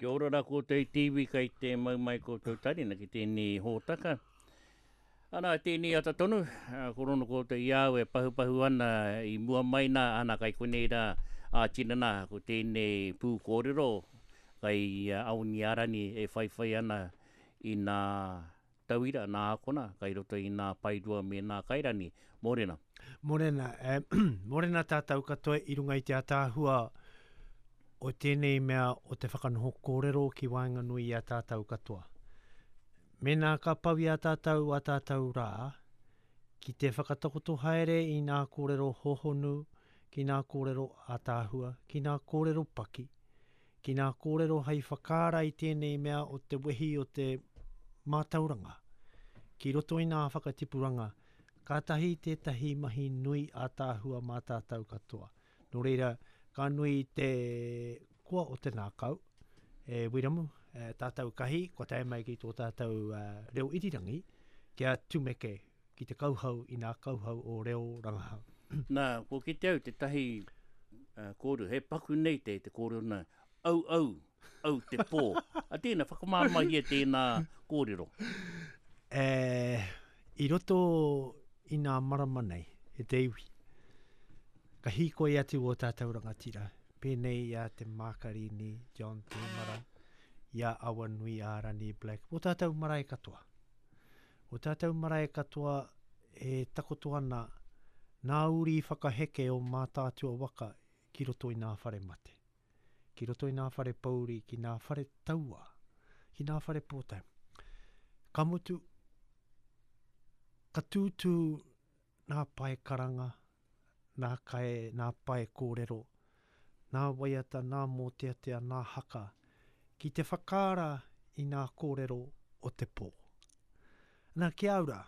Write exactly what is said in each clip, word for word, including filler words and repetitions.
Kia ora rā koutou i te iwi kai te mau mai koutou tarina ki tēnei hōtaka. Ana, tēnei ata tonu, ko rono koutou i au e pahupahu ana i mua mai nā, ana kai konei rā a tinana ko tēnei pū kōrero kai Aoniarani e whaiwhai ana i nā tauira, nā akona, kai roto i nā paerua me nā kairani. Mōrena. Mōrena, eh, mōrena tātou katoa i runga i te ataahua o tēnei mea o te whakanoho kōrero ki waenganui i a tātou katoa. Mēnā ka pau i a tātou a tātou rā, ki te whakatakoto haere i nā kōrero hohonu, ki nā kōrero ataahua, ki nā kōrero paki, ki nā kōrero hei whakaara i tēnei mea o te wehi o te mātauranga, ki roto i nā whakatipuranga, kātahi tētahi mahi nui ataahua mā tātou katoa. Nō reira, ka nui te koa o te nākau, e Wiramu, e, tātou kahi, kua tae mai ki tō tātou uh, reo irirangi, kia tumeke ki te kauhau i nā kauhau o reo rangahau. Nā, ko ki te au te tahi uh, kōrero, he paku nei te, te kōrero nā, au au, au te pō. A tēnā, whakamāmahia tēnā kōrero. E, i roto i nā marama nei, e te iwi, ka hīkoi atu o tātou rangatira, pēnei i a Te Mākarini, John Tēmara, i a Awanui Ārani Black, o tātou marae katoa. O tātou marae katoa e takoto ana nā uri whakaheke o Mātaatua waka ki roto i nā whare mate, ki roto i nā whare pouri, ki nā whare taua, ki nā whare pōtae. Ka mutu, ka tūtū nā pae karanga, nā kai, nā pae kōrero, nā waiata, nā mōteatea, nā haka, ki te whakaara i nā kōrero o te pō. Nā, kia ora,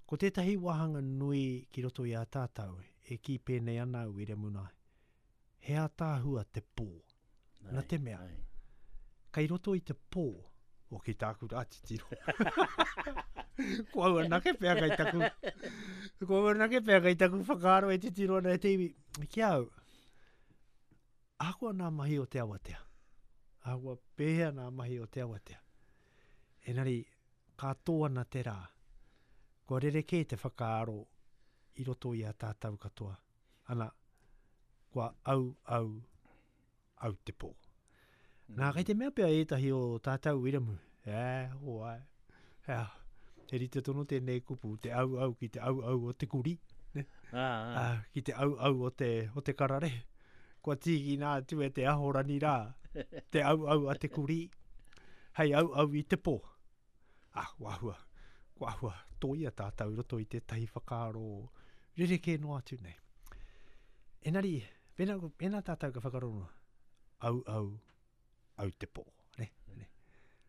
ko tētahi wāhanga nui ki roto i a tātou, e kī pēnei ana au Wiremu, he ataahua te pō. Ai, Nā te mea, ai. Kai roto i te pō, o ki tāku rā titiro. Ko au anake pea kai taku, ko au anake pea kai taku whakaaro e titiro ana e te iwi. Ki au, ahakoa nā mahi o te awatea, ahakoa pēhea nā mahi o te awatea, enari, ka tō ana te rā, kua rerekē te whakaaro i roto i a tātou katoa. Ana, kua au, au, au te pō. Nā, kei te mea pea ētahi o tātou Wiramu, e, hoa, e, he rite tonu tēnei kupu, te au au ki te au au o te kuri, ne? Ah, ah. Ah, ki te au au o te, o te karare. Kua tīkina atu e te ahorani rā, te au au a te kuri, hei au au i te pō. Ah, kua ahua, kua ahua, tōia tātou i roto i tētahi whakaaro rerekē noa atu nei. Enari, pēnā, pēnā tātou ka whakarongo, au au, au te pō, ne, ne.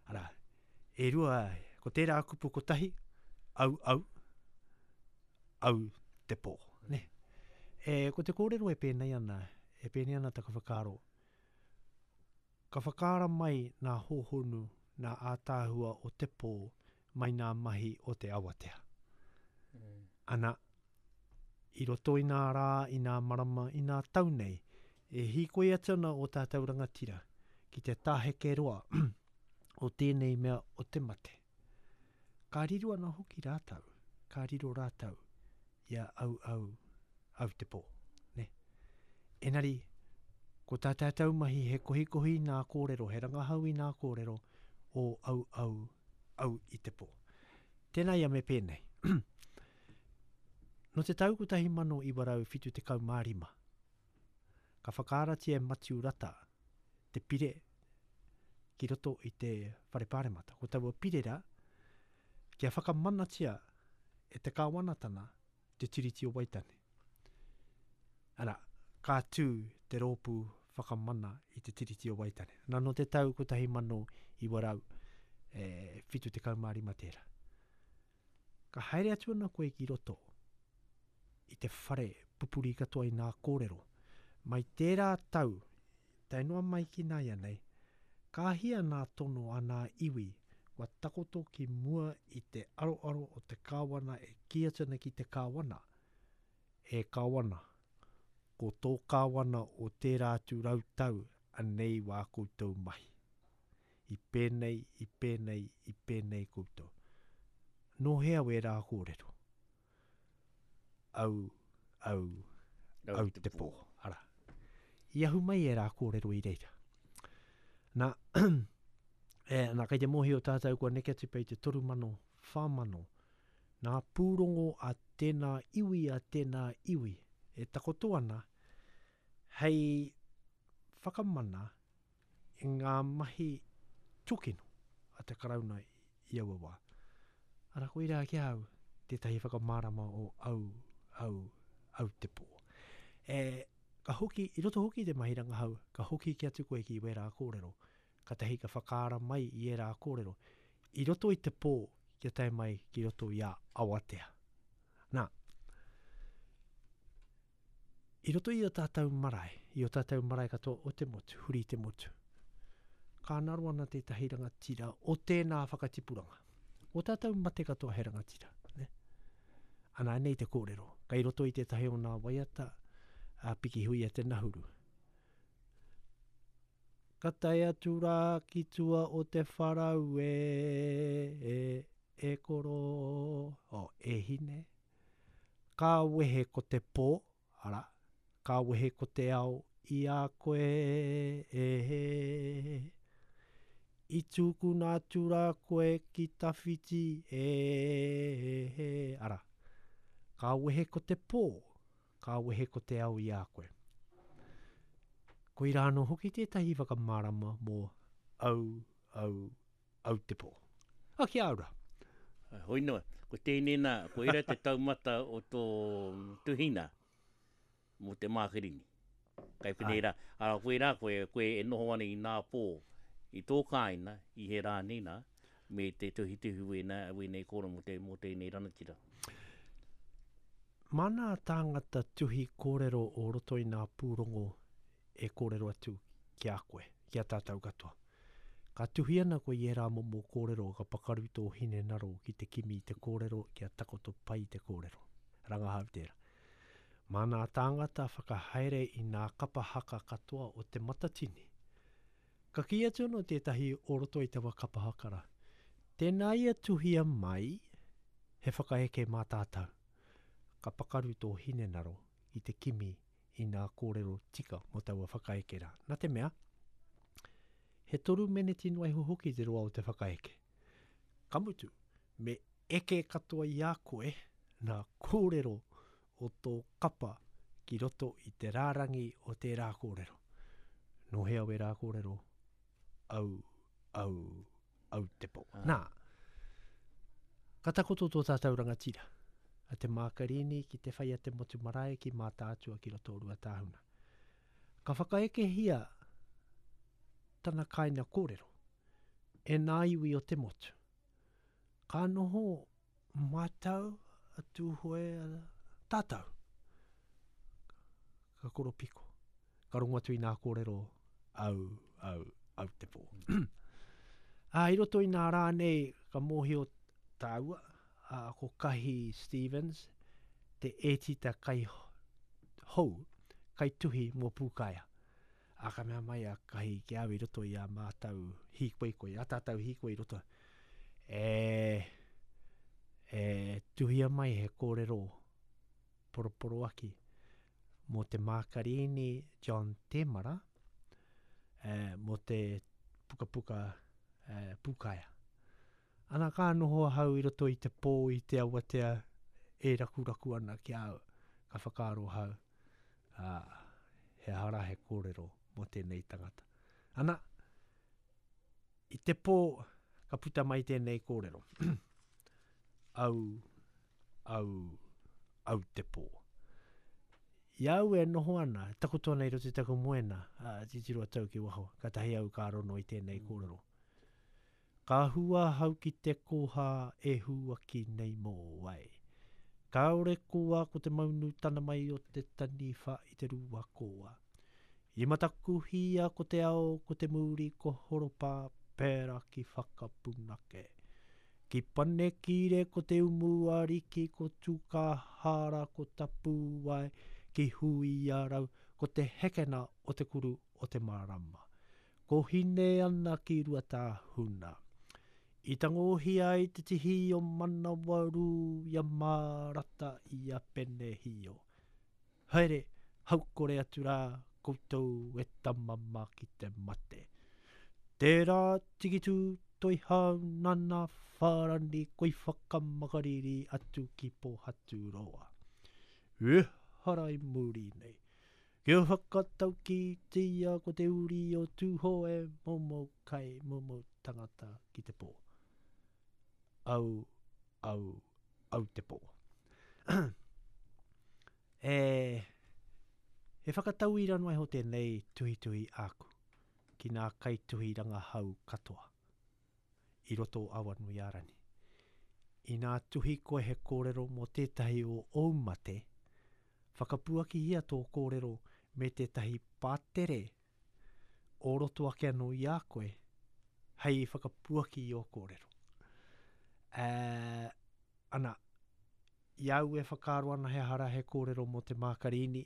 Arā, e rua, ko tērā kupu kotahi, au au, au te pō, ne. E, ko te kōrero e pēnei ana, e pēnei ana taku whakaaro, ka whakaara mai nā hōhonu, nā ātaahua o te pō, mai nā mahi o te awatea. Mm. Ana, i roto i nā rā, i nā marama, i nā tau nei, e hīkoi atu ana o tātou rangatira ki te tāheke roa o tēnei mea o te mate. Ka riro ana hoki rātou, ka riro rātou i a au au, au te pō. Ne? Enari, ko tā tātou mahi he kohikohi nā kōrero, he rangahau i nā kōrero o au au, au i te pō. Tēnā ia me pēnei. Nō te tau kotahi mano iwa rau whitu tekau mā rima, ka whakaaratia e Matiu Rata te pire ki roto i te whare pāremata. Ko taua pire rā, kia whakamanatia e te kāwanatana te Tiriti o Waitangi. Ara, ka tū te rōpū whakamana i te Tiriti o Waitangi. Nā, nō te tau kotahi mano iwa rau, e, whitu tekau mā rima tērā. Ka haere atu ana koe ki roto i te whare pupuri katoa i nā kōrero. Mai tērā tau, tae noa mai ki nāianei, ka hia nā tono a nā iwi kua takoto ki mua i te aroaro o te kāwana e kī atu ana ki te kāwana. E kāwana, ko tō kāwana o tērā atu rau tau Anei wā koutou mahi. I pēnei, i pēnei, i pēnei koutou. Nō hea wērā kōrero? Au, au, au, au te pō. Ara. I ahu mai e rā kōrero i reira. Nā, e, nā kei te mōhio tātou kua neke atu pei te toru mano, whā mano. Nā pūrongo a tēnā iwi a tēnā iwi e takoto ana hei whakamana i ngā mahi tūkino a te Karauna i aua wā. Ara koirā ki au tētahi whakamārama o au, au, au te pō. E, ka hoki, i roto hoki te mahi rangahau, ka hoki ki atu koe ki wērā kōrero, ka tahi ka whakaara mai i ērā kōrero. I roto i te pō, kia tae mai ki roto i a Awatea. Nā, i roto i o tātou marae, i o tātou marae katoa o te motu, huri te motu, ka ngaro ana tētahi rangatira o tēnā whakatipuranga. O tātou mate katoa he rangatira. Ne? Ana, nei te kōrero. Kai roto i tētahi o nā waiata a Pikihuia te Nahuru. Ka tae atu rā ki tua o te wharau e, e, e koro, o, e hine. Ka wehe ko te pō, ara, ka wehe ko te ao i a koe e he. I tūkuna atu rā koe ki tawhiti e he. Ara, ka wehe ko te pō, ka wehe ko te ao i a koe. Koirā anō hoki tētahi whakamārama mō au, au, au te pō. A kia ora. Hoi noa, ko tēnei nā, ko ira te taumata o tō tuhina mō te Mākarini. Kai pēnei rā, ara koe rā, koe, koe e noho ana i nā pō, i tō kāina, i he rā nei nā, me te tuhituhi wēnā, wēnei kōrero mō te, mō tēnei ranatira. Mā nā tāngata tuhi kōrero o roto i nā pūrongo e kōrero atu ki a koe, ki a tātou katoa. Ka tuhi ana koe i ērā momo kōrero ka pakaru tō hinengaro ki te kimi i te kōrero kia takoto pai te kōrero. Rangahau tērā. Mā nā tāngata whakahaere i nā kapa haka katoa o te Matatini. Ka kī atu anō tētahi o roto i taua kapa haka rā. Tēnā ia tuhia mai he whakaeke mā tātou. Ka pakaru tō hinengaro i te kimi i nā kōrero tika mō taua whakaeke rā. Nā te mea, he toru meneti noa iho hoki te roa o te whakaeke. Ka mutu, me eke katoa i a koe nā kōrero o tō kapa ki roto i te rārangi o tērā kōrero. Nō hea wērā kōrero? Au, au, au te pō. Ah. Nā, ka takoto tō tātou rangatira a te Mākarini ki te whai a te motu marae ki Mātaatua ki roto o Ruatāhuna. Ka whakaekehia tana kāina kōrero e nā iwi o te motu. Ka noho mātau a Tūhoe a tātou. Ka koropiko. Ka rongo atu i nā kōrero au, au, au te pō. Ā, i roto i nā rā nei, ka mōhio tāua, a, ko Kahi Stevens, te ētita kai hou, kai tuhi mō Pūkaea. A ka mea mai a Kahi ki au i roto i a mātou hīkoikoi, a tātou hīkoi i roto. E, e tuhia mai he kōrero poroporoaki mō te Mākarini John Temara, e, mō te pukapuka e, Pūkaea. Ana ka noho ahau i roto i te pō i te awatea e rakuraku ana ki au, ka whakaaro ahau, ā, he aha rā he kōrero mō tēnei tangata. Ana, i te pō ka puta mai tēnei kōrero. Au, au, au te pō. I au e noho ana, takoto ana i roto i taku moena, ā, titiro atu au ki waho, ka tahi au ka rono i tēnei Mm. kōrero. Ka hua hau ki te koha e huaki nei mō wai. Kāore koa ko te maunu tana mai o te taniwha i te rua koa. I matakuhia ko te ao, ko te mūri, ko horopa, pērā ki whakapunake. Ki panekire ko te umu ariki, ko tūkahara, ko tapuwae, ki huiarau, ko te hekena o te kuru o te marama. Ko hine ana ki Ruatāhuna. I tangohia ai te tihi o Manawarū i a Mārata i a Penehio. Haere, haukore atu rā koutou e tama mā ki te mate. Tērā tikitū toi hau nana whārani koi whakamakariri atu ki Pōhaturoa. Ehara i muri nei. Kia whakatauki tia ko te uri o Tūhoe momo kai momo tangata ki te pō. Au, au, au te pō. E, he whakatauira noa iho tēnei tuhituhi āku ki ngā kaituhi rangahau katoa i roto o Awanuiārani. Inā tuhi koe he kōrero mō tētahi o ōu mate, whakapuakihia tō kōrero me tētahi pātere o roto ake anō i a koe hei whakapuaki i ō kōrero. E, ana, i au e whakaaro ana he aha rā he kōrero mō te Mākarīni,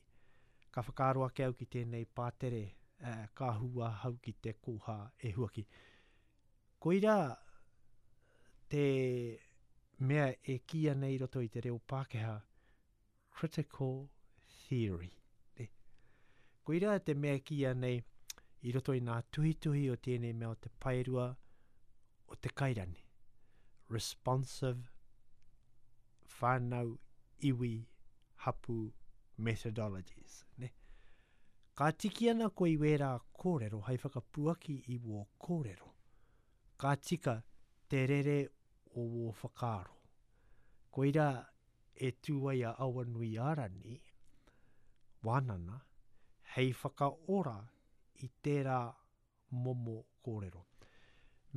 ka whakaaro ake au ki tēnei pātere, e, ka hua hau ki te kōhā e huaki. Koirā te mea e kīia nei i roto i te reo Pākehā, critical theory. Ne? Koirā te mea e kīia nei i roto i ngā tuhituhi o tēnei mea o te paerua o te kairani. Responsive whānau iwi hapu methodologies. Ne? Ka tiki ana koe i wērā kōrero hei whakapuaki i wō kōrero. Ka tika te rere o wō whakaaro. Koirā e tū ai a Awanuiārani, wānana, hei whakaora i tērā momo kōrero.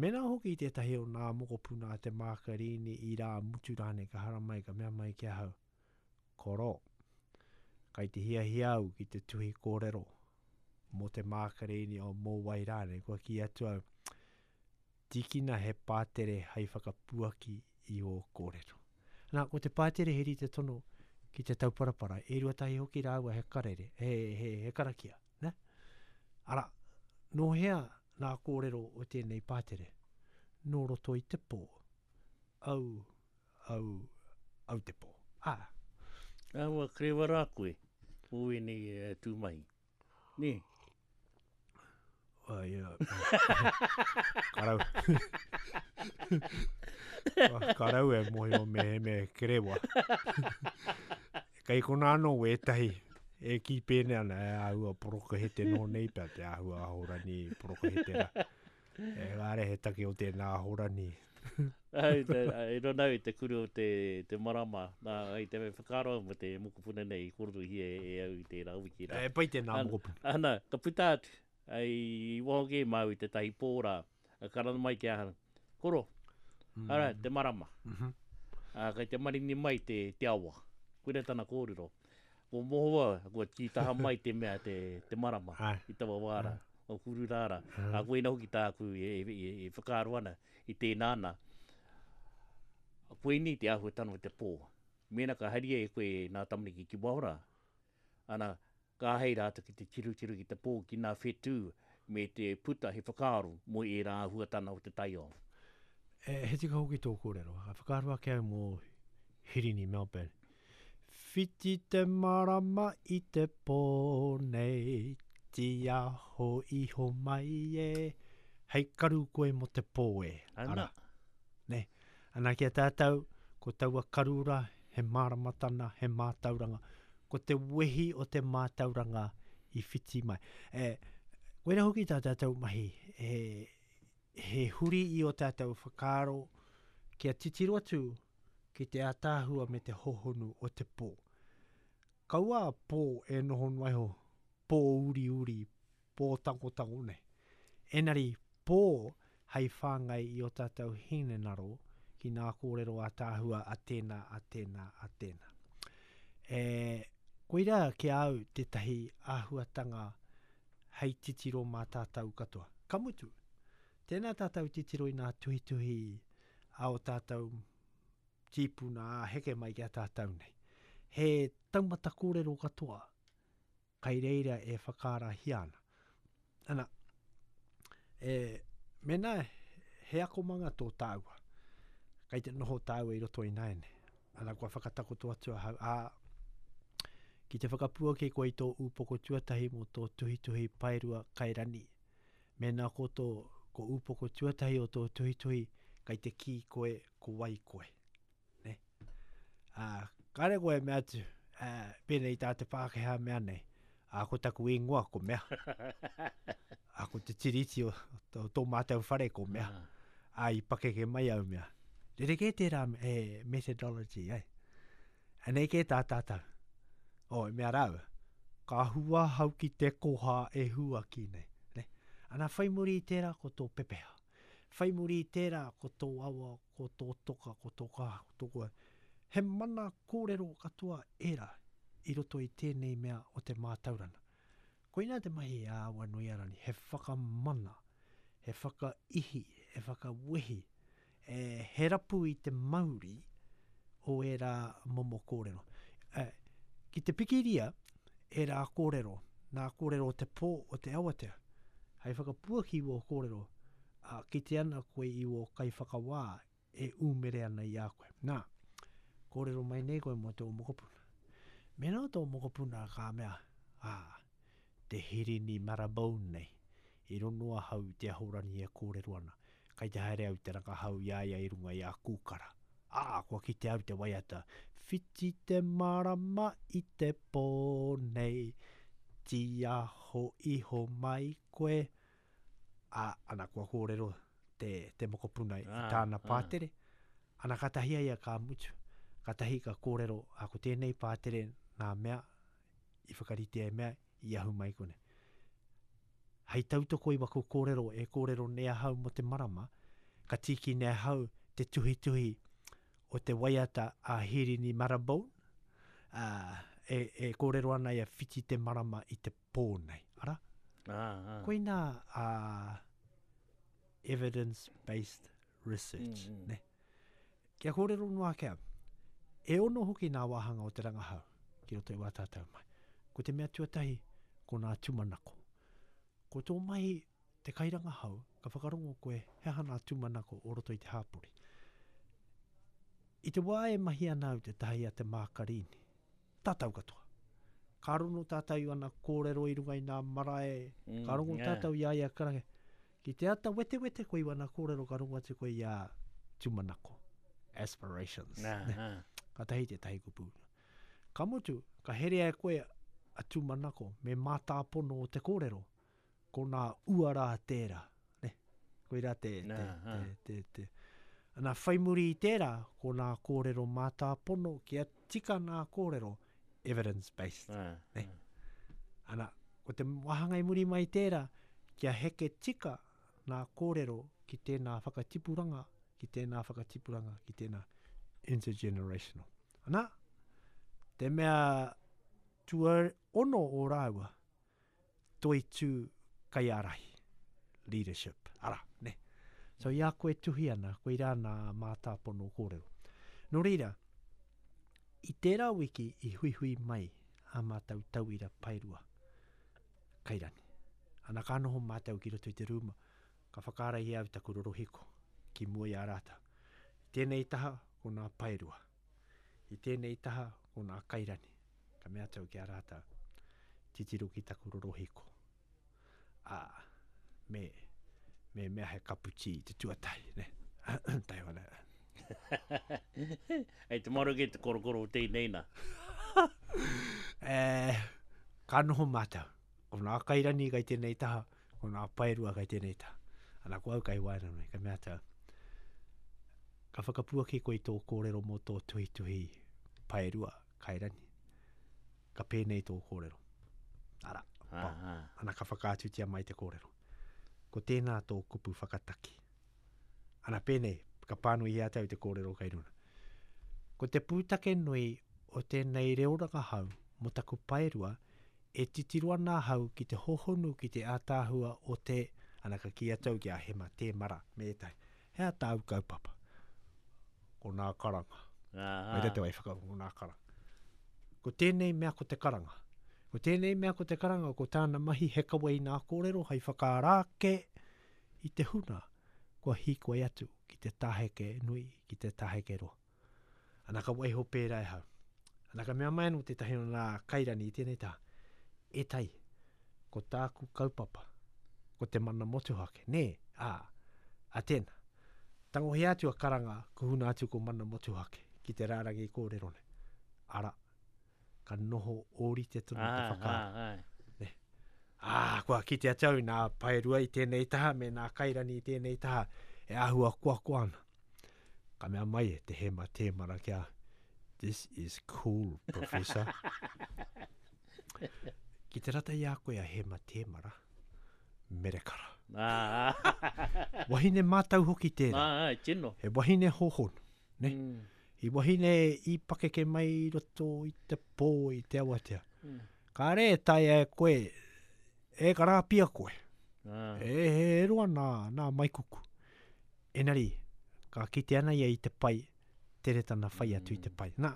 Mēnā hoki tētahi o ngā mokopuna a te Mākarīni i rā mutu rānei ka haramai ka mea mai ki ahau, koro, kai te hiahia au ki te tuhi kōrero mō te Mākarīni o mō wai rānei, kua kī atu au, tīkina he pātere hei whakapuaki i ō kōrero. Nā, ko te pātere he rite tono ki te tauparapara, e rua tahi hoki rāua he karere, he, he, he karakia. Ne? Ara, nō hea nā kōrero o tēnei pātere? Nō roto i te pō. Au, au, au te pō. Ah. Aua, krewa rā koe, o ēnei e, tū mahi. Nē? Uh, yeah. Karau. Karau e mohi o me he me kerewa. Kei kona anō wētahi e ki pēne ana e āhua porokahete nō nei pea te āhua ahorani porokahete rā. E kāre he take o tēnā ahorani. Ai, te, e rona au i te kuru o te, te marama. Nā, ai te whakaaro mo te mokopuna nei i kōrerohia e au i tērā wiki rā. E pai tēnā Ana, mokopuna. ana, ka puta atu, ai, i waho kē māu i tētahi pō rā, a karanga mai ki ahau, koro, Mm. ara, te marama. Mm -hmm. A, kai te marini mai te, te awa. Koira tana kōrero. Ko mohoa, kua tītaha mai te mea te, te marama Ai. i taua wā rā, o kuru rā rā. Mm. A koina hoki tāku e, e, e, e whakaaro ana i tēnā ana. Koinei te āhuatanga o te pō. Mēnā ka haria e koe nā tamariki ki waho rā, ana, ka hei rātou ki te tirutiru ki te pō ki ngā whetū me te puta he whakaaro mō ērā āhuatanga o te taiao. E, he tika hoki tō kōrero. Ka whakaaro ake au mō Hirini Melbourne. Whiti te marama i te pō nei, tiaho iho mai e, hei karu koe mō te pō e. Ana. Ara. Ne. Ana ki a tātou, ko taua karura, he māramatana, he mātauranga. Ko te wehi o te mātauranga i whiti mai. E, koira hoki tā tātou mahi, e, he huri i o tātou whakaaro kia titiro atu ki te ātaahua me te hohonu o te pō. Kaua a pō e noho noa iho, pō uri uri, pō tangotango nei. Enari, pō hei whāngai i o tātou hinengaro ki ngā kōrero ātaahua a tēnā, a tēnā, a tēnā. E, koira ki a au tētahi āhuatanga hei titiro mā tātou katoa. Ka mutu, tēnā tātou titiro i ngā tuhituhi a o tātou tīpuna a heke mai ki a tātou nei. He taumata kōrero katoa Kai reira e whakaarahia ana. Ana, e, mena he akomanga tō tāua, kai te noho tāua i roto i naene. Ana, kua whakatakoto atu ahau, ā, ki te whakapuaki koe i tō ūpoko tuatahi mō tō tuhituhi paerua kairani. Mēnā ko tō, ko ūpoko tuatahi o tō tuhituhi, kai te kī koe, ko wai koe. Ne? Ā, kāre koe mea atu, ā, pēnei tā te Pākehā mea nei, ā, ko taku ingoa ko mea. Ā, ko te tiriti o, o tō mātou whare ko mea. Ā, i pakeke mai au mea. Rerekē tērā e, methodology, ai. Anei kē tā tātou. O, e mea rāua, ka hua hau ki te koha e hua ki nei. Ne? Ana, whai muri i tērā ko tō pepeha. Whai muri i tērā ko tō awa, ko tō toka, ko tō kaha, ko tō koa. He mana kōrero katoa ērā i roto i tēnei mea o te mātauranga. Koina te mahi a Awanuiarangi, he whakamana, he whakaihi, he whakawehi, e, he rapu i te mauri o ērā momo kōrero. E, ki te pikiria, ērā kōrero, nā kōrero o te pō o te awatea, hei whakapuaki wō kōrero, a, ki te ana koe i wō kaiwhakawā e ūmere ana i a koe. Nā, kōrero mai nei koe mō tō mokopuna. Mēnā tō mokopuna ka mea, ā, te Hirini Marabone nei, i rono ahau i te ahorangi e kōrero ana, kai te haere au te rangahau i a ia i runga i a kūkara. Ā, kua kite au te waiata, whiti te marama i te pō nei, tiaho iho mai koe. Ā, ana kua kōrero te, te mokopuna i tāna pātere. Ana katahi a ia ka mutu. Katahi ka kōrero, a ko tēnei pātere nā mea, i whakaritea e mea, i ahu mai kone. Hei tautoko i waku kōrero e kōrero nei ahau mō te marama, ka tīki nei ahau te tuhituhi o te waiata a Hirini Marabone, ā, e, e kōrero ana ia whiti te marama i te pō nei. Ara? Ah, ah. Koina a evidence-based research. Mm, mm. Ne? Kia kōrero noa ake au, e ono hoki nā wāhanga o te rangahau ki roto i wā tātou mai. Ko te mea tuatahi, ko nā tūmanako. Ko tō mahi te kairangahau, ka whakarongo koe he aha nā tūmanako o roto i te hāpori. I te wā e mahi ana au te tahi a te Mākarini, tātou katoa. Ka rongo tātou i ana kōrero i runga i nā marae, Mm, ka rongo yeah. tātou i a ia karange. Ki te ata wetewete koe i wana kōrero, ka rongo atu koe i a tūmanako, aspirations. Nā, Ne? nā. Ka tahi te tahi kupu. Ka mutu, ka herea e koe a tūmanako me mātāpono o te kōrero, ko nā uara tērā. Ne? Koirā te, te, Nā, te, te, te. Ana whai muri i tērā, ko nā kōrero mātāpono kia tika nā kōrero evidence-based. Nā, Ne? Ana, ko te wāhanga i muri mai tērā, kia heke tika nā kōrero ki tēnā whakatipuranga, ki tēnā whakatipuranga, ki tēnā intergenerational. Ana, te mea tuaono o rāua, toitū kaiārahi, leadership, ara, ne. So i a koe tuhi ana, koirā nā mātāpono kōrero. Nō reira, i tērā wiki i huihui mai a mātou tauira paerua, kairani. Ana ka noho mātou ki roto i te rūma, ka whakaarahia au taku rorohiko ki mua i a rātou. I tēnei taha, ko nā paerua. I tēnei taha, ko nā kairani. Ka mea atu ki a rātou, titiro ki taku rorohiko. Ā, me, me mea he kapu tī te tuatahi, ne? Taihoa nei. Hei te maroke te korokoro o tēnei nā. E, ka noho mātou. Ko nā kairani kai tēnei taha, ko nā paerua kai tēnei taha. Ana ko au kai waenganui, ka mea atu au, ka whakapuaki koe i tō kōrero mō tō tuhituhi paerua kairani. Ka pēnei tō kōrero. Ara, Ah, pao. ah. Ana ka whakaatutia mai te kōrero. Ko tēnā tō kupu whakataki. Ana pēnei, ka pānui i a tau te kōrero kai runa. Ko te pūtake nui o tēnei reo rangahau mō taku paerua, e titiro ana ahau ki te hohonu ki te ātaahua o te, ana ka kī atu au ki a Hema Tēmara me ētahi, he a tāu kaupapa. Ko nā karanga. Ah, Mai te wai whaka, ko nā karanga. Ko tēnei mea ko te karanga. Ko tēnei mea ko te karanga, ko tāna mahi he kawe i nā kōrero hei whakaara ake i te huna, kua hīkoi atu ki te taheke nui, ki te taheke roa. Ana ka waiho pērā e hau. Ana ka mea mai anō tētahi o nā kairani i tēnei taha, e tai, ko tāku kaupapa, ko te mana motuhake, nē, ā, a tēnā. Tangohia atu a karanga, kuhuna atu ko mana motuhake, ki te rārangi kōrero nei. Ara, ka noho ōrite tonu te whakaaro. Ā, ā, ā. Ā, kua kite atu au nā paerua i tēnei taha me nā kairani i tēnei taha e āhua koakoa ana. Ka mea mai e te Hema Tēmara ki a, This is cool, professor. Ki te rata i a koe a Hema Tēmara, merekara. Ā, ā. Wahine mātau hoki tērā. Ā, ā, tino. He wahine hohonu, ne? Mm. I wahine i pakeke mai i roto i te pō i te awatea. Mm. Kāre e taea e koe, e karāpia koe. Ah. E he roa nā, nā maikuku. Enari, ka kite ana ia i te pai, tere tana whai atu i te pai. Nā,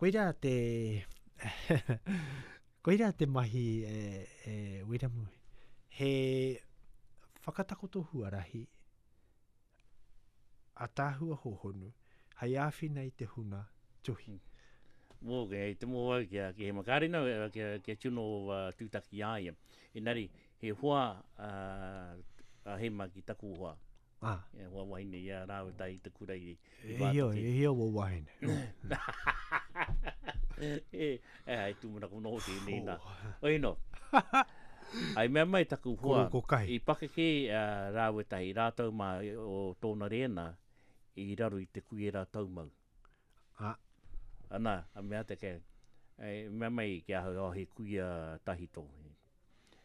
koirā te, koirā te mahi e, e Wiremu. He whakatakoto huarahi ataahua hohonu, hei āwhina i te huna tuhi. Mō, e te mō au kia, ki he makarina, kia, kia tino uh, tūtaki a ia. Engari, he hoa uh, a Hema ki taku hoa. Ah. He hoa wahine i a rāua tahi i te kura i, i E hia, Wātaki. e hia wō wahine. E, e, ai tūmanako noho tēnei nā. Oi no. Ai mea mai taku hoa, Koro ko kai. i pakeke uh, rāua tahi, rātou mā o tōna rēna i raro i te kuera taumau. Ah. Ana, a mea te ke, e, mea mai ki ahau, oh, he kuia tahito.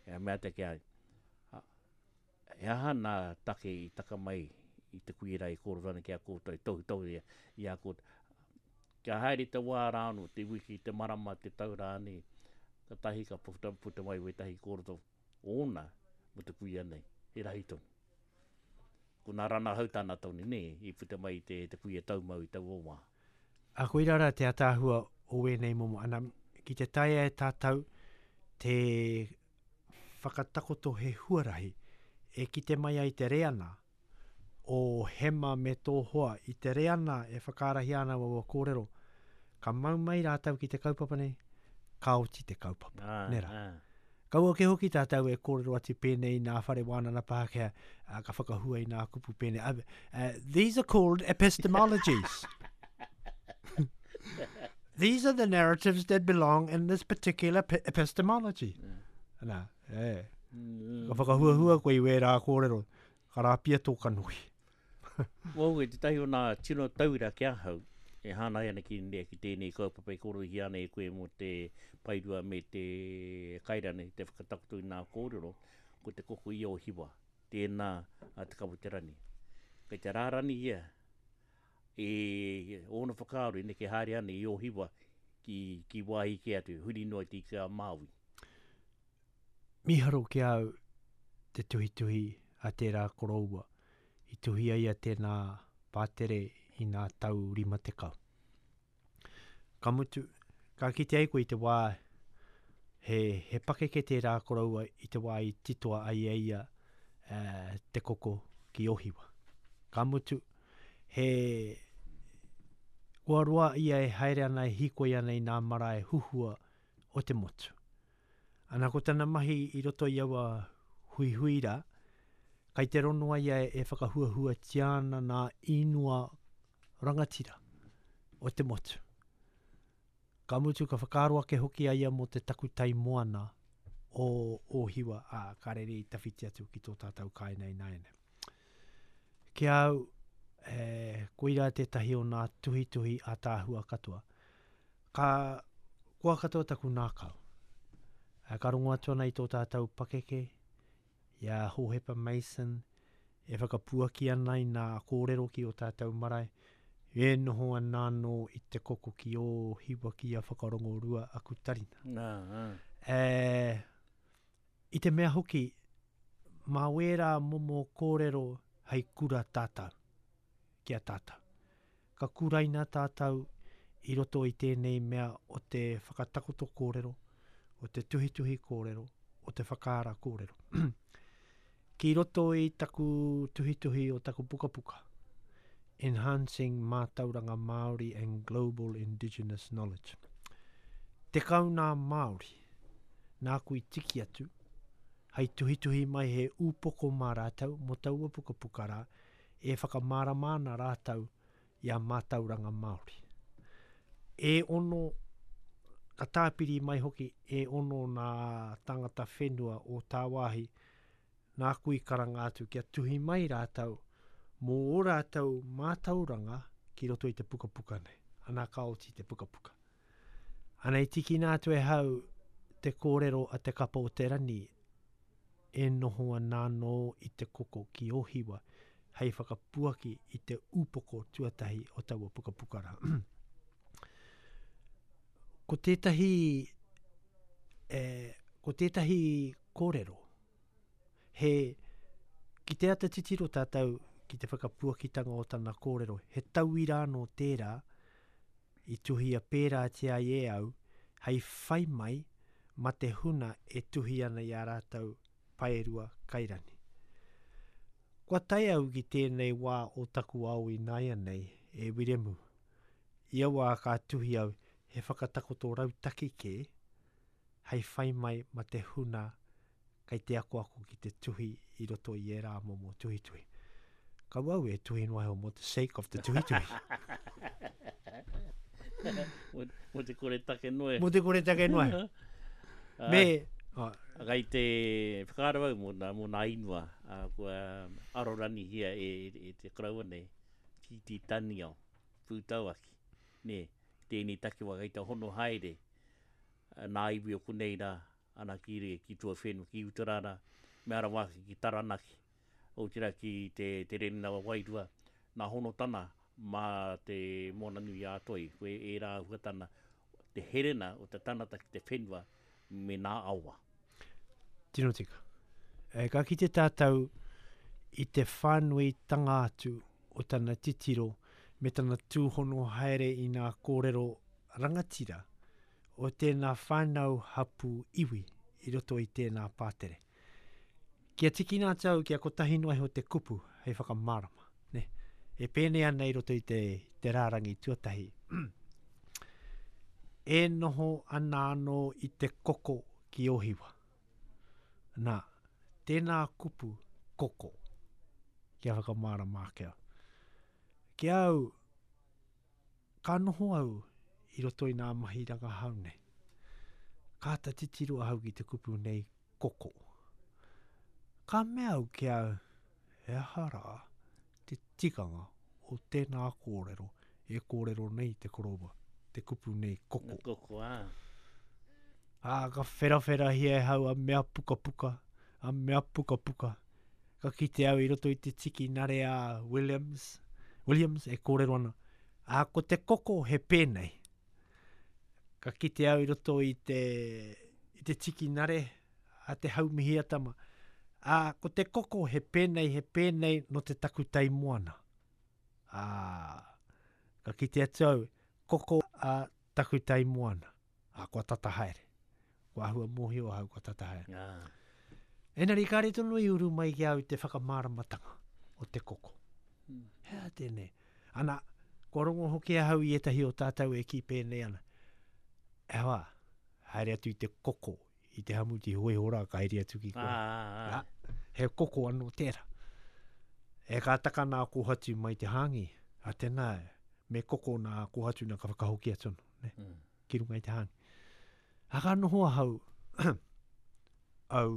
E, mea te ke, a, he aha nā take i taka mai i te kuera i kōrero ana ki a koutou, tohu tohu ia, i a koutou. Kia haere te wā rāno, te wiki, te marama, te tau rāni, ka tahi ka puta, puta mai wetahi kōrero ōna mo te kuia nei, he rahi tonu. Ko nā rana hau tāna tonu, nē, i puta mai te, te kuia taumau i taua wā. A koira rā te ataahua o wēnei momo. Ana, ki te taea e tātou te whakatakoto he huarahi e kite mai ai te reana o Hema me tō hoa i te reana e whakaarahia ana waua kōrero. Ka mau mai rātou ki te kaupapa nei, ka oti te kaupapa. Ah, Nē rā. ah. Kaua ke hoki tātou e kōrero atu pēnei nā whare wānana Pākehā, uh, ka whakahua i nā kupu pēnei. Uh, uh, these are called epistemologies. These are the narratives that belong in this particular pe- epistemology. Yeah. Nā, e. Mm. Ka whakahuahua koe i wērā kōrero, ka rāpia tō kanohi. Wau, e te tahi o nā tino tauira ki ahau, e hānai ana ki, ki tēnei kaupapa e kōrohia ana e koe mō te paerua me te kairane, te whakatakoto i nā kōrero, ko te koko ia o Hiwa, tēnā a Te Kaweterani. Kei te rārani ia, e ōna whakaaro i neke haere ana i o Hiwa ki, ki wāhi ke atu, huri noa i te ika a Māui. Miharo ki au te tuhituhi a tērā koroua. I tuhi ai a tēnā pātere i nā tau rima tekau. Ka mutu, ka kite ai koe i te wā, he, he pakeke tērā koroua i te wā i titoa ai e ia eh, te koko ki Ohiwa. Ka mutu, he kua roa ia e haere ana e hīkoi ana i nā marae huhua o te motu. Ana ko tana mahi i roto i aua huihui rā, kai te ronoa ia e whakahuahuatia ana nā inua rangatira o te motu. Ka mutu ka whakaaro ake hoki a ia mō te takutai moana o Ōhiwa, ā, ka rere i tawhiti atu ki tō tātou kāinga ināianei. Ki au, e, koirā tētahi o nā tuhituhi ātaahua katoa. Ka koa katoa taku nākau. E, ka rongo atu ana i tō tātou pakeke, i a Hohepa Mason, e whakapuaki ana i nā kōrero ki o tātou marae, e noho ana anō i te koko ki o hiwa ki a whakarongorua aku tarina. Nā, ā. E, i te mea hoki, mā wērā momo kōrero hei kura tātou, ki a tātou. Ka kuraina tātou i roto i tēnei mea o te whakatakoto kōrero, o te tuhituhi kōrero, o te whakaara kōrero. Ki roto i taku tuhituhi o taku pukapuka, Enhancing Mātauranga Māori and Global Indigenous Knowledge. Tekau nā Māori, nāku i tiki atu, hei tuhituhi mai he ūpoko mā rātou, mō taua pukapuka rā, e whakamārama ana rātou i a mātauranga Māori. E ono, ka tāpiri mai hoki, e ono nā tangata whenua o tāwāhi, nāku i karanga atu kia tuhi mai rātou, mō o rātou mātauranga ki roto i te pukapuka nei. Ana ka oti te pukapuka. Ana i tikina atu e hau te kōrero a te kapa o te rani e noho ana anō i te koko ki Ōhiwa hei whakapuaki i te ūpoko tuatahi o taua pukapuka rā. Ko tētahi, e, ko tētahi kōrero, he, ki te ata titiro tātou ki te whakapuakitanga o tana kōrero, he tauira anō tērā i tuhia pērātia ai e au, hei whai mai ma te huna e tuhi ana i a rātou paerua kairani. Kua tae au ki tēnei wā o taku ao i nāianei e Wiremu. Ia wā ka tuhi au he whakatakoto rautaki kē, hei whai mai ma te huna kei te akoako ki te tuhi i roto i ērā momo tuhituhi. Kau au e tuhi noa iho mō te sake of te tuhituhi. Mō te kore take noa. Mō te kore take noa. Me, oh. Kai te whakaaro au mō nā, mō nā inua, uh, kua aroranihia e, e, e te karaua nei, ki te taniao, pūtauaki. Nē, tēnei takiwā kei te hono haere, nā iwi o konei rā, ana ki, re, ki tuawhenua, ki Utarara, me ara wāki ki Taranaki, o tira ki te, te Renina wa Wairua, nā hono tana mā te Moana Nui a Toi, koe e rā huatana, te herena o te tanata ki te whenua me nā awa. Tino tika. E, ka kite tātou i te whānuitanga atu o tana titiro me tana tūhono haere i nā kōrero rangatira o tēnā whānau hapu iwi i roto i tēnā pātere. Kia tikina atu au kia kotahi noa iho te kupu hei whakamārama. Ne? E pēnei ana i roto i te, te rārangi tuatahi. E noho ana anō i te koko ki Ōhiwa. Nā, tēnā kupu koko kia whakamārama ake au. Ki au, ka noho au i roto i nā mahi rangahau nei. Ka āta titiro ahau ki te kupu nei koko. Ka mea au ki au, he aha rā te tikanga o tēnā kōrero e kōrero nei te koroua, te kupu nei koko. Koko, ā. Ā, ka wherawherahia e hau a mea pukapuka, a mea pukapuka. Ka kite au i roto i te tiki nare a Williams, Williams e kōrero ana. Ā, ko te koko he pēnei. Ka kite au i roto i te, i te tiki nare a te Haumihiatama. Ā, ko te koko he pēnei, he pēnei no te takutai moana. Ā, ka kite atu au, koko a takutai moana. Ā, kua tata haere. Kua ahua mōhio ahau, kua tata haere. Ah. Engari, kāre tonu i uru mai ki au te whakamāramatanga o te koko. Mm. Hea tēnei. Ana, kua rongo hoki ahau i ētahi o tātou e ki pēnei ana. E hoa, haere atu i te koko, i te hamuti hoiho rā, ka haere atu ki Ah, koe. ah, ah. He koko anō tērā. E ka taka nā kōhatu mai te hāngi. A tēnā, me koko nā kōhatu nā ka whakahoki atu anō, ne? Mm. Ki runga i te hāngi. A ka noho ahau, au,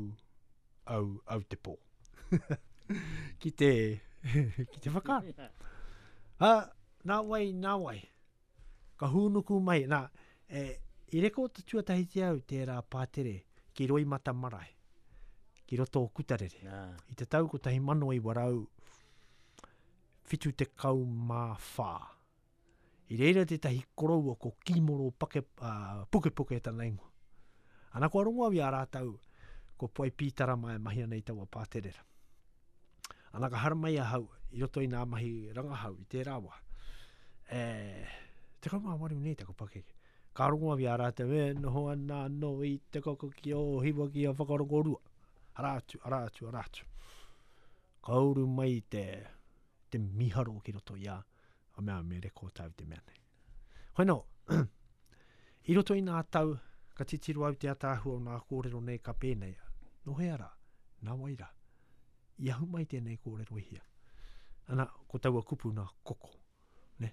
au, au te pō. Ki te, ki te whakaaro. Ha, nā wai, nā wai. Ka hūnuku mai, nā, e, i reko te tuatahi au tērā pātere ki Roimata Marae, ki roto o Kutarere. Ah. I te tau kotahi mano iwa rau whitu tekau mā whā. I reira tētahi koroua ko Kimoro Pake, uh, Pukepuke tana ingoa. Ana kua rongo au i a rātou ko Poai Pītarama e mahi ana i taua pāterera. Ana ka haramai ahau i roto i nā mahi rangahau i tērā wā. E, tekau mā waru nei taku pakeke. Ka rongo au i a rātou, e noho ana anō i te koko ki Ōhiwa ki a Whakarongorua. Arā atu, arā atu, arā atu. Ka uru mai te, te miharo ki roto i a, a mea me rekōtau te mea nei. Hoi nō, i roto i nā tau, ka titiro au te ataahua o nā kōrero nei ka pēnei. Nō hea rā, nā wai rā, i ahu mai tēnei kōrero i hia. Ana, ko taua kupu nā koko. Ne?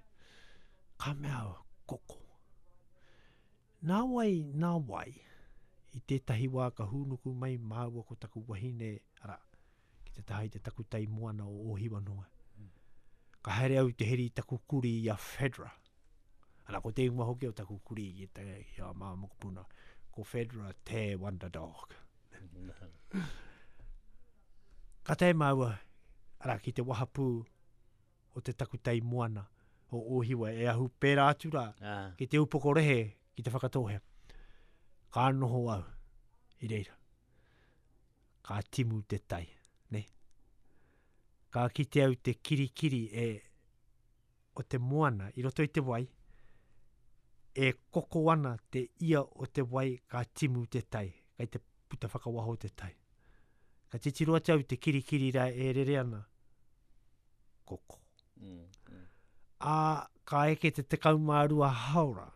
Ka mea au, koko. Nā wai, nā wai, i tētahi wā ka hūnuku mai māua ko taku wahine, arā, ki te taha i te takutai moana o Ōhiwa noa. Ka haere au te heri i taku kuri i a Fedra. Ana, ko te ingoa hoki o taku kuri i te, i a mā mokopuna, ko Fedra te Wonder Dog. Ka tae māua, arā, ki te wahapū o te takutai moana o Ōhiwa e ahu pērā atu rā, Ah. ki te upoko rehe, ki te Whakatōhea. Ka noho au i reira. Ka timu te tai, ne? Ka kite au te kirikiri e o te moana i roto i te wai, e koko ana te ia o te wai ka timu te tai, kai te puta whakawaho te tai. Ka titiro atu au te kirikiri rā e rere ana, koko. Mm, mm. Ā, ka eke te tekau mā rua haora.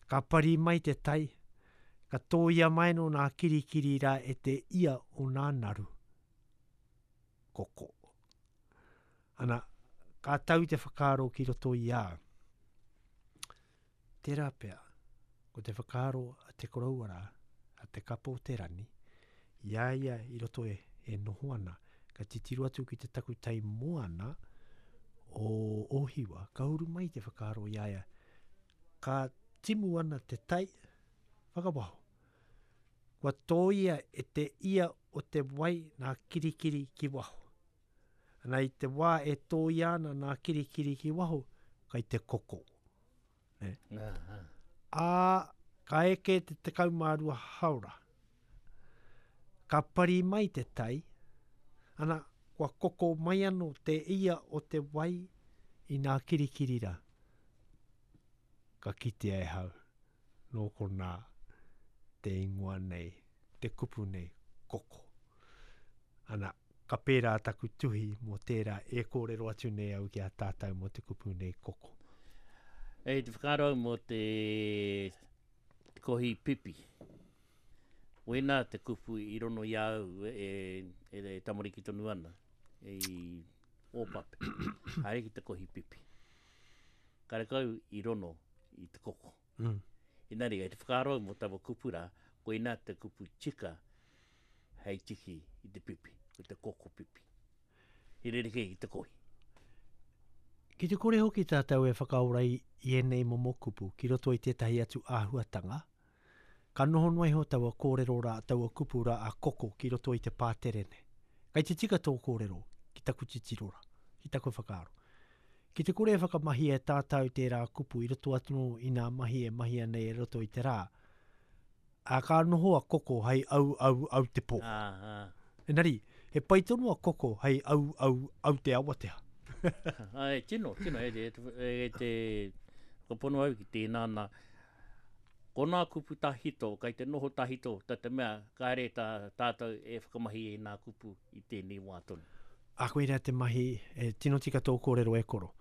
Ka pari mai te tai, ka tōia mai no nā kirikiri rā e te ia o nā naru. Koko. Ana, ka tau te whakaaro ki roto i a. Tērā pea, ko te whakaaro a te koroua rā, a te kapo o te rani, i a ia i roto e, e noho ana, ka titiro atu ki te takutai moana o Ōhiwa, ka uru mai te whakaaro i a ia, ka timu ana te tai, whakawaho. Kua tōia e te ia o te wai nā kirikiri ki waho. Ana i te wā e tōia ana nā kirikiri ki waho, kai te koko. Ne? Ah, ah. Ā, ka eke te tekau mā rua haora. Ka pari mai te tai, ana, kua koko mai anō te ia o te wai i nā kirikiri rā. Ka kitea e hau, nō konā te ingoa nei, te kupu nei, koko. Ana, ka pērā taku tuhi mō tērā e kōrero atu nei au ki a tātou mō te kupu nei koko. E te whakaaro mō te kohi pipi. Wena te kupu i rono i au e, e, e tamariki tonu ana, e i Ōpape. Haere ki te kohi pipi. Karekau i rono i te koko. Mm. Inari, e te whakaaro mō taua kupu rā, koina te kupu tika hei tiki i te pipi, ko te koko pipi. I rerekē ki te kohi. Ki te kore hoki tātou e whakaora i, i ēnei momo kupu ki roto i tētahi atu āhuatanga, ka noho noa iho taua kōrero rā, taua kupu rā a koko ki roto i te pātere nei. Kai te tika tō kōrero ki taku titiro rā, ki taku whakaaro. Ki te kore e whakamahi e tātou tērā kupu i roto atu i nā mahi e mahia nei e roto i te rā, a ka noho a koko hei au au au te pō. Ah, ah. Engari, he pai tonu a koko hei au au au te awatea. Ai, tino, tino, e, e, e, e te whakapono au ki tēnā nā. Ko nā kupu tahito, kai te noho tahito, ta te mea, kāre tā, tātou e whakamahi e nā kupu i tēnei wā tonu. A koira te mahi, e, tino tika tō kōrero e koro.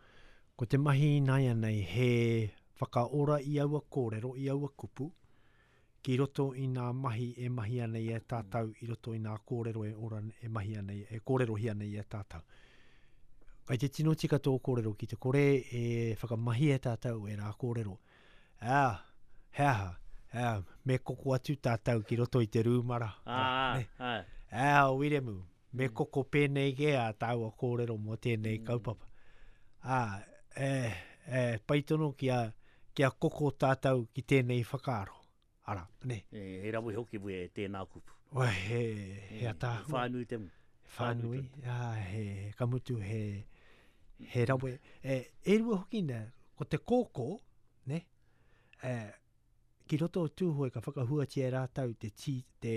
Ko te mahi ināianei he whakaora i aua kōrero, i aua kupu, ki roto i nā mahi e mahi ana i e tātou, i roto i nā kōrero e ora e mahi ana i, e kōrerohia nei e tātou. Kai te tino tika tō kōrero ki te kore e whakamahi e tātou e rā kōrero. Ā, he aha, ā, me koko atu tātou ki roto i te rūmara. Ah, Ne? ah, Ā, Wiremu, me koko pēnei ke a tāua kōrero mō tēnei kaupapa. Ā, e, e, pai tonu kia, kia koko tātou ki tēnei whakaaro. Ara, ne? E, he rawe hoki we e tēnā kupu. Oi, he, he ataahua. Whānui te mu. Whānui, ā, he, ka mutu he, he rawe. E, e rua hoki nā, ko te kōkō, ne? E, ki roto o Tūhoe ka whakahuatia e rātou te, tī, te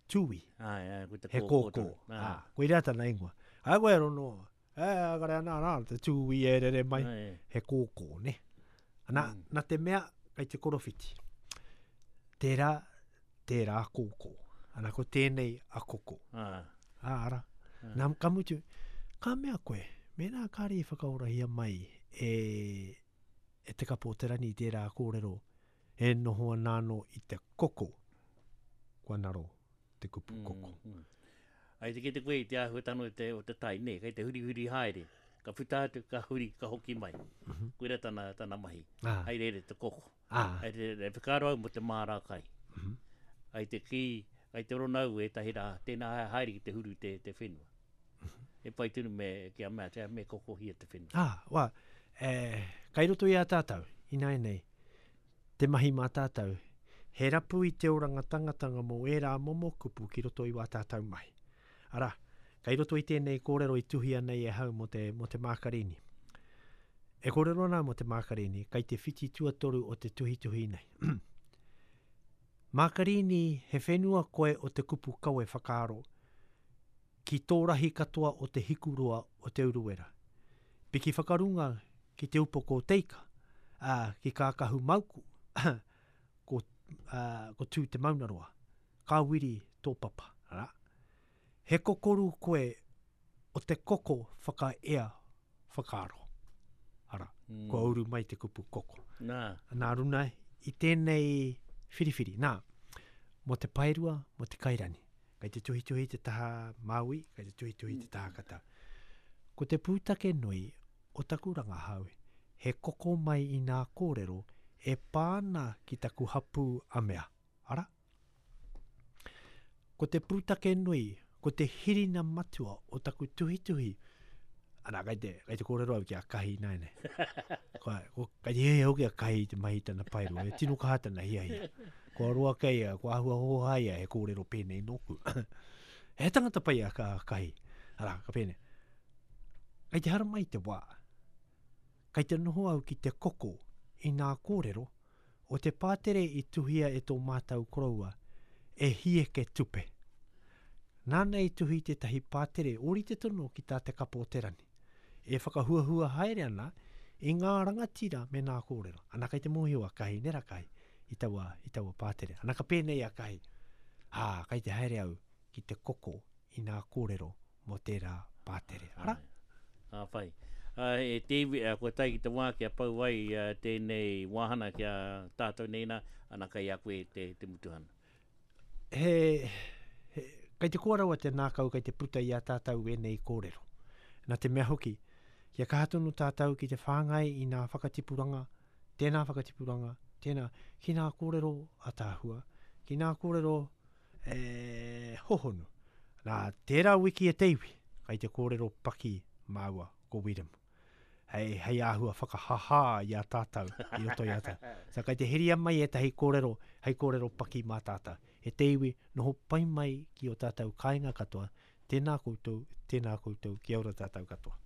tūi. Ai, ai, ko te He kōkō kōkō. tonu. Ā, Ah. koirā tana ingoa. Ai koe rono, e, kare ana rā, te tūi e rere mai. Ai, He kōkō, ne? Ana, Mm. nā te mea, kei te korowhiti. Tērā, tērā kōkō. Ana ko tēnei a koko. Ah. Ā, ara. Ah. Nā, ka mutu, ka mea koe, mēnā kāre i whakaorahia mai e, e Te Kapo o te Rangi tērā kōrero, e noho ana anō i te koko, kua naro te kupu koko. Mm, mm. Ai te kite koe i te āhuatanga o te, o te tai, nē, kei te hurihuri haere. Ka puta atu, ka huri, ka hoki mai. Mm -hmm. Koira tana, tana mahi. Ah. Hai rere te koko. Ah. Hai rere, whakaaro au mo te māra kai. Mm -hmm. Ai te ki, ai te rona au e tahi rā, tēnā haere ki te huru te, te whenua. Mm -hmm. E pai tonu me, kia mea, te me kokohia te whenua. Ah, wā, e, kai roto i a tātou, ināianei, te mahi mā tātou, he rapu i te oranga tangatanga mō ērā momo kupu ki roto i wā tātou mahi. Arā, kai roto i tēnei kōrero i tuhia nei e hau mō te, mō te Mākarini. E kōrero ana mō te Mākarini, kai te whiti tuatoru o te tuhituhi nei. Mākarini, he whenua koe o te kupu kawe whakaaro, ki tō rahi katoa o te hikuroa o te Uruwera. Piki whakarunga ki te upoko o Teika, ā, ki Kākahu Mauku, ko, ā, ko Tū Te Maunaroa, ka wiri tō papa, arā. He kokoru koe o te koko whakaea whakaaro. Ara, mm. kua uru mai te kupu koko. Nā. Nā runa, i tēnei whiriwhiri, nā, mō te paerua, mō te kairani. Kei te tuhituhi te taha Māui, kei te tuhituhi te taha katau. Ko te pūtake nui o taku rangahau, he koko mai i nā kōrero e pāna ki taku hapū a mea. Ara? Ko te pūtake nui, ko te hirina matua o taku tuhituhi, ana, kai te, kai te kōrero au ki a Kahi nāianei. Kua, ko, kai te hiahia hoki a Kahi i te mahi tana paerua, e tino kaha tana hiahia. Kua roa kei a, kua āhua hoha ia he kōrero pēnei nōku. He tangata pai a ka, Kahi. Ara, ka pēnei. Kai te haramai te wā. Kai te noho au ki te koko i nā kōrero o te pātere i tuhia e tō mātau koroua e hieke tupe. Nāna i tuhi tētahi pātere ōrite tonu ki tā Te Kapo o te Rangi. E whakahuahua haere ana i ngā rangatira me nā kōrero. Ana kai te mōhio a Kahi, nera Kahi, i taua, i taua pātere. Ana ka pēnei a Kahi, ā, kai te haere au ki te koko i nā kōrero mō tērā pātere. Ara? Ā, whai. Uh, e te iwi, uh, kua tae ki te wā kia pau ai uh, tēnei wāhana kia tātou nei nā, ana kai a koe te, te mutuhana. He, he, kai te kō rawa te nākau kai te puta i a tātou ēnei kōrero. Nā te mea hoki, kia kaha tonu tātou ki te whāngai i nā whakatipuranga, tēnā whakatipuranga, tēnā, ki nā kōrero ataahua, ki nā kōrero e, hohonu. Nā, tērā wiki e te iwi, kai te kōrero paki māua ko Wiremu. Hei, hei āhua whakahahā i a tātou, i roto i a tātou. So, kai te heria mai ētahi kōrero, hei kōrero paki mā tātou. E te iwi, noho pai mai ki o tātou kāinga katoa. Tēnā koutou, tēnā koutou, kia ora tātou katoa.